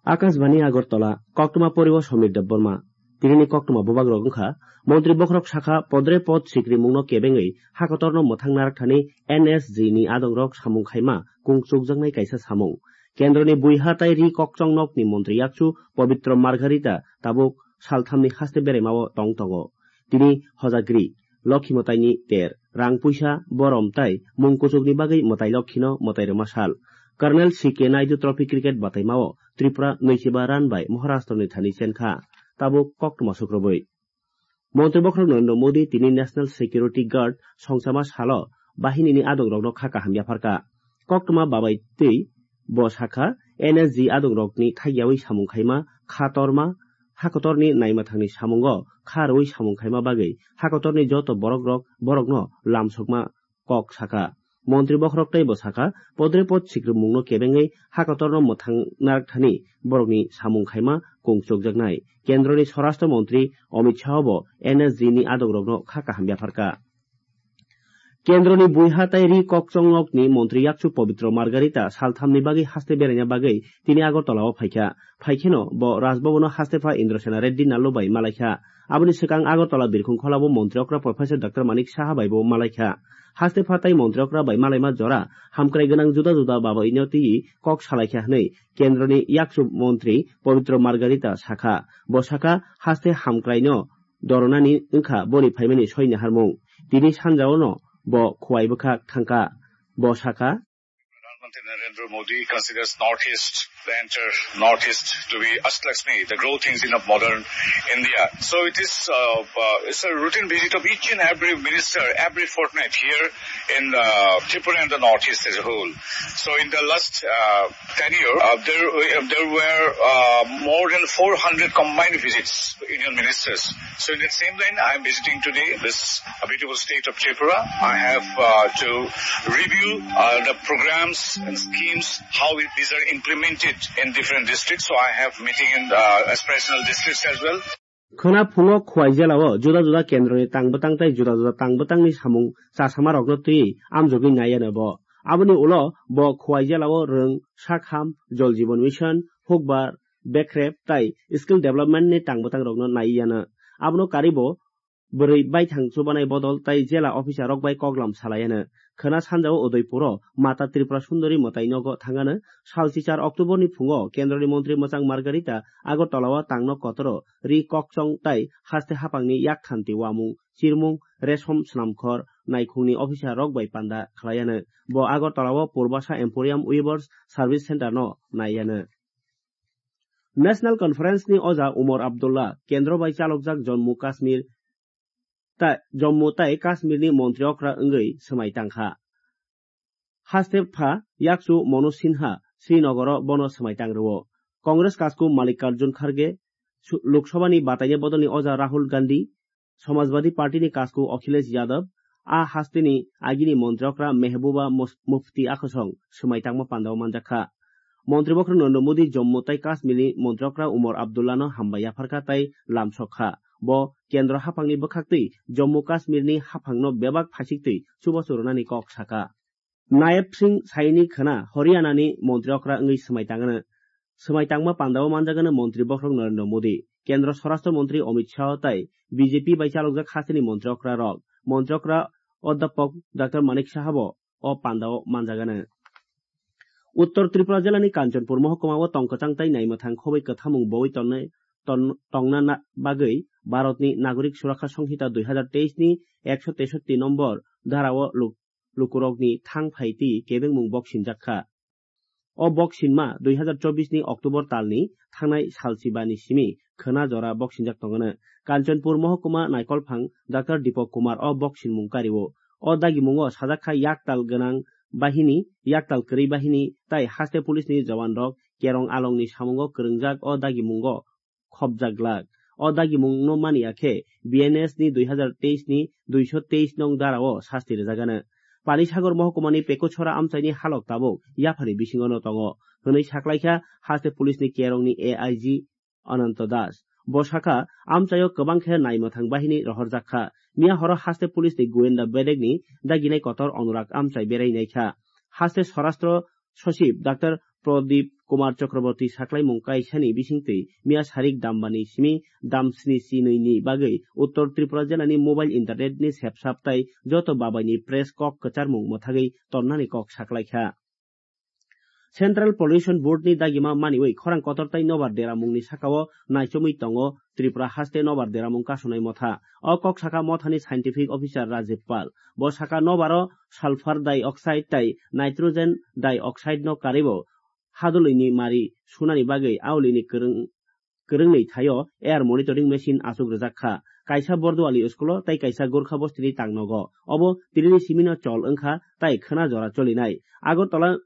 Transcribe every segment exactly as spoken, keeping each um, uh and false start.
Akashbani Agartala, koktwma poribo Somir Debbarma. Tinini koktwma bubagrok wngkha, Montri bokhorok sakha podre pod sikrimungno kebengwi hakotorno mwthang narakthani N S G ni adongrok samung khaima kung chukjaknai kaisa samung. Kendroni buiha tai ri kokchong nokni montri yakchu Pabitra Margharita tabuk salthamni haste beraimao tong tongo. Tini hojagri, Lokhi mwtaini ter, rang puisa, borom tai mung kuchukni bagwi mwtai Lokhino mwtai rwma sal. Colonel C K Naidu Trophy Cricket bataimao Tripura nwichiba run bai Maharashtrani thani chenkha. Tabuk koktwma sukrubwi. Montri bokhorok Narendra Modi tini National Security Guard songchama salo bahinini adongrokno kha kaham yapharkha. Koktwma babai twi bo sakha, N S G adongrokni thaiyawi samung khaima, kha torma, hakotorni naima thangni samungo kha rwui samung khaima bagwi hakotorni joto borokrok borokno lamsokma kok sakha. Montri bokhorok tei bo sakha, podre pod sikrimungno kebengwi hakotorno mwthang narakthani borokni samung khaima kung chukjaknai. Kendroni Swarashtra Montri Amit Shah bo N S G ni adongrokno kha kaham yapharkha. Kendroni buiha tai ri kokchong nokni montri yakchu Pabitra Margharita salthamni bagwi haste beraina bagwi tini Agartala o phaikha. Phaikheno bo Rajbhavan o haste pha Indrasena Reddy Nallu bai malaikha. Aboni swkang Agartala birkhung kholabo montri okra Professor Doctor Manik Saha bai bo malaikha. Haste pha tai montri okra bai malaima jora hamkrai gwnang juda juda babaino twi kok salaikha hwnwi kendroni yakchu montri Pabitra Margharita sakha. Bo sakha, haste hamkraino doronani wngkha boni phaimani soi naharmung. Tini sanjaono bo khuwai bwkhak thangkha. Bo sakha, Pradhan Mantri Narendra Modi considers Northeast, the entire Northeast, to be Astalakshmi, the growth engine of modern India. So it is, uh, uh, it's a routine visit of each and every minister every fortnight here in, uh, Tripura and the Northeast as a whole. So in the last, uh, tenure, uh, there, uh, there were, uh, more than four hundred combined visits of union ministers. So in that same line, I am visiting today this, uh, beautiful state of Tripura. I have, uh, to review, uh, the programs and schemes, how it, these are implemented in different districts. So I have meeting in, uh, aspirational districts as well. Khwna phungo Khwai jelao juda juda kendroni tangbwtang tei juda juda tangbwtangni samung chasamarokno twiwi amjogwi naiyano bo. Aboni ulo bo Khwai jelao rwng, sakham, Jal Jeevan Mission, hukbar, bekrep tei skill development ni tangbwtangrokno naiyano. Abono karwi bo bwrwi baithang chubanai bodol tei jela officer rok bai koklam salaiano. Khwna sanjao Udaipuro Mata Tripura Sundori mwtai nogo thangano. Salchichar October ni phungo kendroni montri mwchang Margarita Agartala o tangno kotoro ri kokchong tai haste haphangni yak khanti uamung, chirmung, resom, snamkhor, naikhungni officer rok bai panda khlaiano. Bo Agartala o Purbasa Emporium Weavers Service Center no naiano. National Conference ni oja Umar Abdullah kendro bai chalokjak Jammu Kashmir ta-, Jammu tai Kashmir ni montri okra wngwi swmai tangkha. Haste pha yakchu Manoj Sinha Srinagar o bono swmai tang rwo. Congress kasku Mallikarjun Kharge, su-, Lok Sabha ni bataini bodol ni oja Rahul Gandhi, Samajwadi Party ni kasku Akhilesh Yadav, a haste ni agini montri okra Mehbuba Mus-, Mufti akhosong swmai tangma pandao manjakha. Montri bokhorok Narendra Modi Jammu tai Kashmir ni montri okra Umar Abdullah no hambai yapharkha tai lamsok kha. Bo kendro haphang ni bwkhaktwi Jammu Kashmir ni haphang no bebak phaichiktwi chubachu rwnani kok sakha. Nayab Singh Saini khwna Haryana ni montri okra wngwi swmai tangano. Swmai tangma pandao manjagano montri bokhorok Narendra Modi, Kendra Swarashtra Montri Amit Shah tai B J P bai chalokjak hasteni montri okra rok. Montri okra Odhyapok Doctor Manik Saha bo o pandao manjagano. Uttor Tripura jilani Kanchanpur mohokuma o tongkwchang tai naimwthang khobwi kwthamung bowi tongnai, ton-, tongna na-, bagwi Bharatni Nagorik Surakha Songhita dui hazar teis ni ekso tesotti nombor dharao luk-, lukurokni thang phaitwi kebengmung boksinjak kha. O boksinma dui hazar chobbish ni October talni thangnai salsibani simi khwna jora boksinjak tongano. Kanchanpur mohokuma naikolphang Doctor Deepak Kumar o boksinmung kario. O dagimungo sajak kha yaktal gwnang bahini, yaktal kwrwi bahini tai haste police ni jawan rok Kerong Along ni samungo kwrwngjak o dagimungo khopjak glak. O dagimungno mani ya khe B N S ni dui hazar teis ni duiso teis nong dara o sasti rwjagano. Panisagar mohkumani Pekuchhora amchaini halok tabuk yaphani bisingo no tongo, hwnwi saklaikha haste police ni Kerong ni A I G Ananto Das. Bo sakha, amchaio kwbang khe naimwthang bahini rohorjak kha. Miya horo haste police ni goyenda bedekni daginai kotor Anurag amchai berai naikha. Haste Swarashtra Sochib Doctor Pradip Kumar Chakraborty saklaimung kaisani bisingtwi miya sarik dambani simi dam sni chinwi ni bagwi Uttor Tripura jilani mobile internet ni sepsap tai joto babaini press kok kwcharmung mwthagwi tonnani kok saklaikha. Central Pollution Board ni dagima maniwi khorang kotor tai nobar deramungni sakao naichomwi tongo Tripura haste nobar deramung kasonai motha. O kok saka mothani scientific officer Rajiv Pal. Bo saka nobaro sulfur dioxide tai nitrogen dioxide no karibo hadolwini mari sunani bagwi aolini kwrwng kwrwngnwi thaio air monitoring machine achuk rwjak kha. Kaisa Borduali school-o tei kaisa Gorkha bostini tangnogo. Obo tinini simino chol wngkha tei khwna jora cholinai. Agartala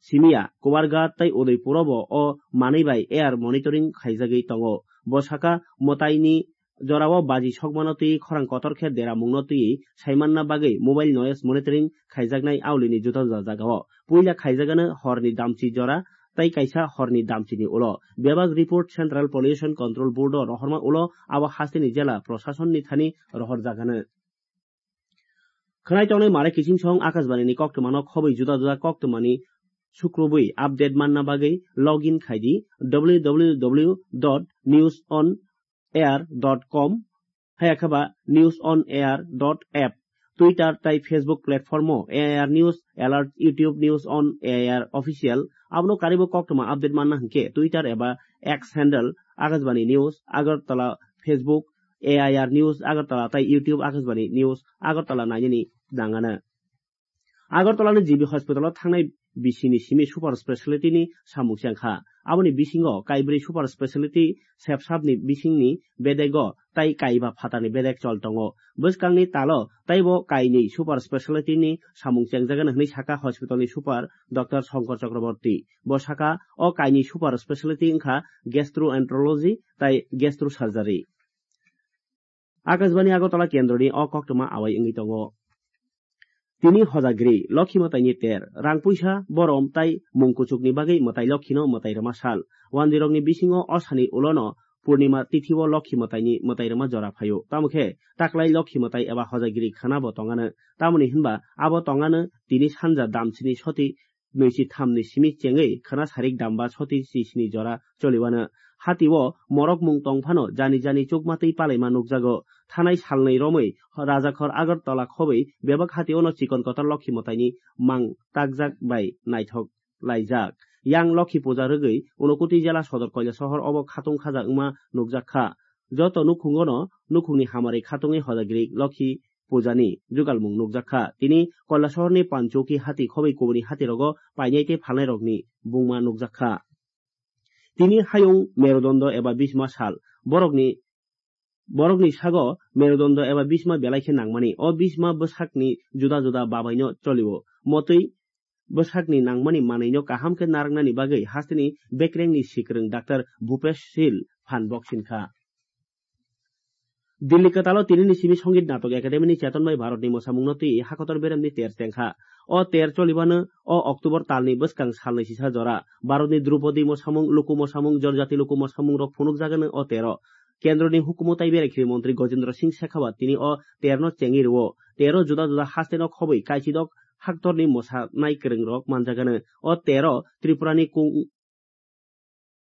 simiya, Kumarghat tei Udaipuro bo o manwi bai air monitoring khaijagwi tongo. Bo saka mwtaini jorao baji sokmano twi khorang kotor khe deramungno twi saimanna bagwi mobile noise monitoring khaijaknai aolini juda juda jagao. Puila khaijagano horni damchi jora tei kaisa horni damchini ulo. Bebak report Central Pollution Control Board-o rohorma ulo abo hasteni jela prosasonni thani rohorjagano. Khwnai tongnai mare kiching song Akashbani ni koktwmano khobwi juda juda koktwmani sukrubwi update manna bagwi login khai di w w w dot news on air dot com, haya khe ba news on air dot app, Twitter tai Facebook platform-o A I R News Alert, YouTube News on A I R Official, abono karibo koktwma update manna hwnkhe Twitter eba X handle Akashbani News Agartala, Facebook A I R News Agartala tai YouTube Akashbani News Agartala nainani nangano. Agartala ni G B hospital-o thangnai bisini simi super speciality ni samung chengkha. Aboni bisingo kaibrwi super speciality sepsap ni bisingni bedego tai kaiba phatarni bedek chol tongo. Bwskangni talo taibo kainwi super speciality ni samung chengjagano hwnwi saka hospital ni super Doctor Shankar Chakraborty. Bo saka o kainwi super speciality wngkha gastroenterology tai gastrosurgery. Akashbani Agartala kendroni o koktwma awai wngwi tongo. Tini hojagri, Lokhi mwtaini ter, rang puisa, borom tai mung kuchukni bagwi mwtai Lokhino mwtai rwma sal. Wandirokni bisingo o sani ulono Purnima tithio Lokhi mwtaini mwtai rwma jora phaio. Tamo khe taklai Lokhi mwtai eba hojagri khana bo tongano. Tamoni hinba abo tongano tini sanja damsini soti nwichi thamni simi chengwi khwna sarik damba soti chisni jora choliwano. Hatio morokmung tong phano jani jani chukmatwi palaima nukjago. Thanai salnwi romwi Rajakhor Agartala khobwi bebak hationo chikon kotor Lokhi mwtaini mang takjak bai naithok laijak. Yang Lokhi puja rwgwi Unakoti jela sodor Koilasohor obo khatung khaja wngma nukjak kha. Joto nukhungono nukhungni hamari khatungwi hojagri Lokhi pujani jugalmung nukjak kha. Tini Koilasohorni Panchokhi hati khobwi kubuni hatirogo painai tei phalnairokni bungma nukjak kha. Tini hayung Merudondo eba Bisma sal. Borokni, borokni sago Merudondo eba Bisma belai khe nangmani. O Bisma bwsakni juda juda babaino cholio. Motwi bwsakni nangmani manwino kaham khe narwknani bagwi hasteni bekrengni sikrwng Doctor Bhupesh Sil phan boksin kha. Dilli kwtalo tinini simi Songit Natok Academy ni Cheton bai Bharatni mwsamungno twi hakotor beremni ter chengkha. O ter cholibano o October talni bwskang salni sisa jora. Bharatni Drupadi mwsamung, luku mwsamung, Jonjati luku mwsamung rok phunukjagano o tero. Kendroni hukumu tai berekhiri montri Gajendra Singh Shekhawat tini o terno chengwi rwo. Tero juda juda hasteno khobwi kaichidok haktorni mwsanai kwrwngrok manjagano. O tero Tripurani kung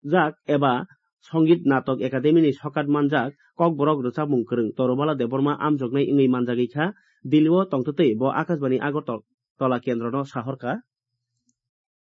jak eba Songit Natok Academy ni sokat manjak Kokborok rwchapmung kwrwng Torubala Debbarma amjoknai wngwi manjagwi kha. Dilli o tongtwtwi bo Akashbani Agartala kendrono sahorkha.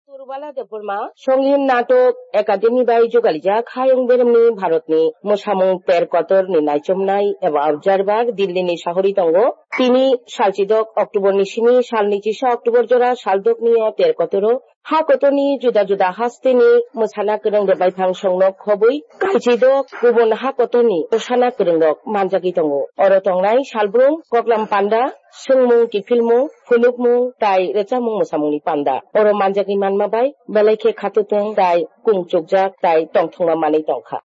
Torubala Debbarma Songit Natok Academy bai jugalijak hayung beremni Bharatni mwsamung ter kotorni naichomnai eba observer Dilli ni sahori tongo. Tini salchidok October ni simi salni chisa October jora saldokni o ter kotoro ha kotorni juda juda hasteni mwsana kwrwng rwbai phangsongno khobwi kaichidok kubun ha kotorni mwsana kwrwngrok manjagwi tongo. Oro tongnai salbrum, koklam panda, swngmung, kiphilmung, phunukmung tai rwchapmung mwsamungni panda. Oro manjagwi manma bai belai khe khatutwng tai kung chukjak tai tongthokma manwi tongkha.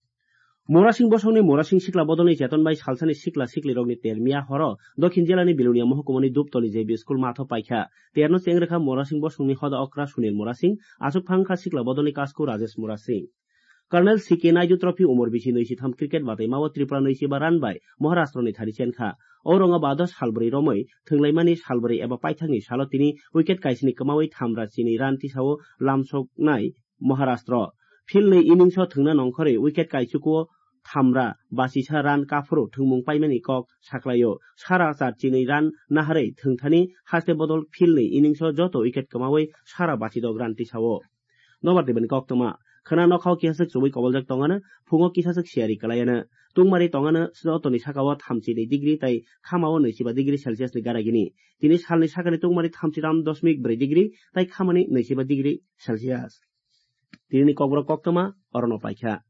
Murasing bosongni Murasing sikla bodolni cheton bai salsani sikla siklirokni ter miya horo Dokhin jilani Bilonia mohkumani Duptoli J B school matho paikha. Terno cheng rwkha Murasing bosongni hoda okra Sunil Murasing, aswk phangkha sikla bodolni kasku Rajesh Murasing. Colonel C K Naidu Trophy umor bisi nwi si tham cricket bataimao Tripura nwi si ba run bai Maharashtrani thani chenkha. O rongo bado salbrwi romwi thwnglaimani salbrwi eba paithakni salo tini wicket kaisni kwmawi thamra chini run tisao lamsoknai Maharashtra. Field ni innings o thwngna nongkhorwi wicket kaichuku o thamra basisa run kaphuru thwngmung paimani kok saklaio. Sara char chinwi run naharwi thwngthani haste bodol field ni innings o joto wicket kwmawi sara basidok run tisao. Nobar Debani koktwma. Khwna nokhao kisaswk chubui koboljak tongano, phungo kisaswk siyari kwlaiano. Tungmari tongano jotoni sakao thamchi ni degree tai khamao naichiba degree Celsius ni garagini. Tini salni sakani tungmari thamchi tam dosmik bwrwi degree tai khamani naichiba degree Celsius. Tinini kokborok koktwma orono paikha.